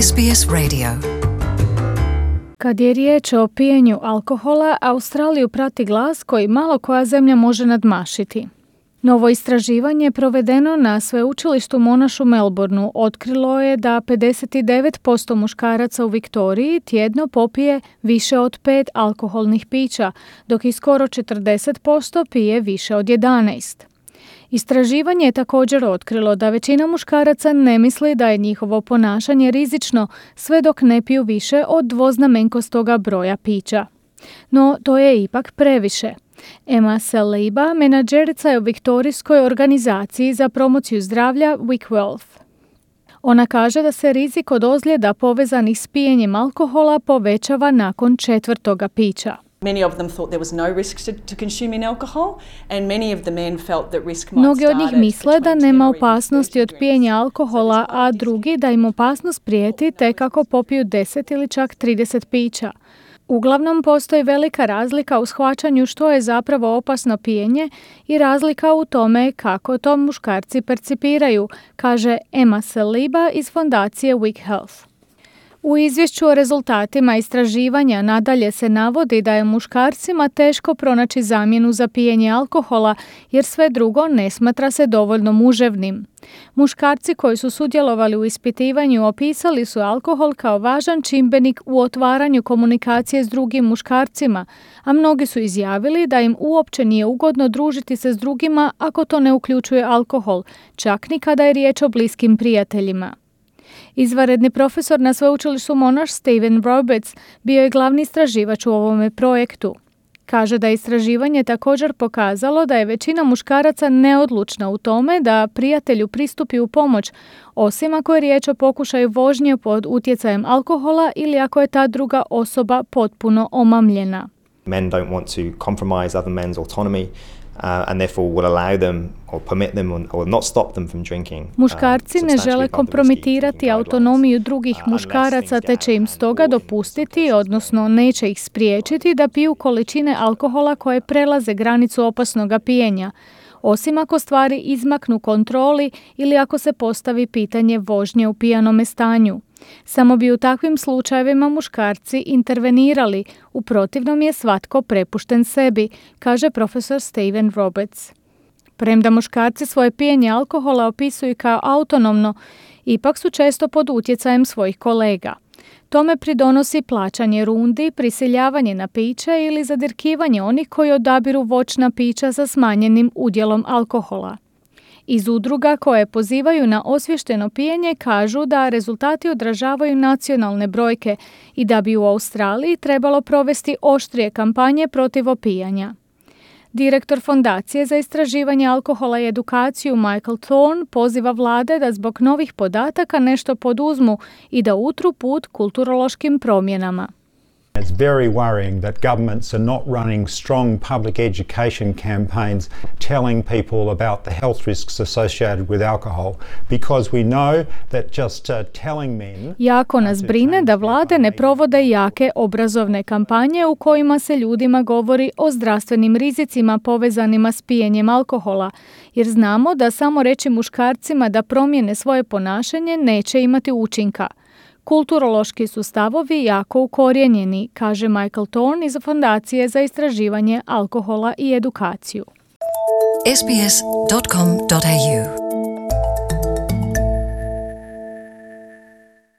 SBS Radio. Kad je riječ o pijenju alkohola, Australiju prati glas koji malo koja zemlja može nadmašiti. Novo istraživanje provedeno na sveučilištu Monash u Melbourneu otkrilo je da 59% muškaraca u Viktoriji tjedno popije više od 5 alkoholnih pića, dok i skoro 40% pije više od 11. Istraživanje je također otkrilo da većina muškaraca ne misli da je njihovo ponašanje rizično sve dok ne piju više od dvoznamenkostoga broja pića. No, to je ipak previše. Emma Saliba, menadžerica je u viktorijskoj organizaciji za promociju zdravlja WickWealth. Ona kaže da se rizik od ozljeda povezanih s pijenjem alkohola povećava nakon 4. pića. Mnogi od njih misle da nema opasnosti od pijenja alkohola, a drugi da im opasnost prijeti tek ako popiju 10 ili čak 30 pića. Uglavnom postoji velika razlika u shvaćanju što je zapravo opasno pijenje i razlika u tome kako to muškarci percipiraju, kaže Emma Saliba iz fondacije WickHealth. U izvješću o rezultatima istraživanja nadalje se navodi da je muškarcima teško pronaći zamjenu za pijenje alkohola jer sve drugo ne smatra se dovoljno muževnim. Muškarci koji su sudjelovali u ispitivanju opisali su alkohol kao važan čimbenik u otvaranju komunikacije s drugim muškarcima, a mnogi su izjavili da im uopće nije ugodno družiti se s drugima ako to ne uključuje alkohol, čak ni kada je riječ o bliskim prijateljima. Izvanredni profesor na sveučilištu Monash Stephen Roberts bio je glavni istraživač u ovome projektu. Kaže da je istraživanje također pokazalo da je većina muškaraca neodlučna u tome da prijatelju pristupi u pomoć, osim ako je riječ o pokušaju vožnje pod utjecajem alkohola ili ako je ta druga osoba potpuno omamljena. Men don't want to compromise other men's autonomy. And therefore will allow them or permit them or not stop them from drinking. Muškarci ne žele kompromitirati autonomiju drugih muškaraca te će im stoga dopustiti, odnosno neće ih spriječiti da piju količine alkohola koje prelaze granicu opasnoga pijenja, osim ako stvari izmaknu kontroli ili ako se postavi pitanje vožnje u pijanome stanju. Samo bi u takvim slučajevima muškarci intervenirali, u protivnom je svatko prepušten sebi, kaže profesor Stephen Roberts. Premda muškarci svoje pijenje alkohola opisuju kao autonomno, ipak su često pod utjecajem svojih kolega. Tome pridonosi plaćanje rundi, prisiljavanje na piće ili zadirkivanje onih koji odabiru voćna pića sa smanjenim udjelom alkohola. Iz udruga koje pozivaju na osvješteno pijenje kažu da rezultati odražavaju nacionalne brojke i da bi u Australiji trebalo provesti oštrije kampanje protiv opijanja. Direktor Fondacije za istraživanje alkohola i edukaciju Michael Thorne poziva vlade da zbog novih podataka nešto poduzmu i da utru put kulturološkim promjenama. It's very worrying that governments are not running strong public education campaigns telling people about the health risks associated with alcohol because we know that just telling men. Jako nas brine da vlade ne provode jake obrazovne kampanje u kojima se ljudima govori o zdravstvenim rizicima povezanima s pijenjem alkohola, jer znamo da samo reći muškarcima da promijene svoje ponašanje neće imati učinka. Kulturološki su stavovi jako ukorijenjeni, kaže Michael Thorne iz Fondacije za istraživanje alkohola i edukaciju. sbs.com.au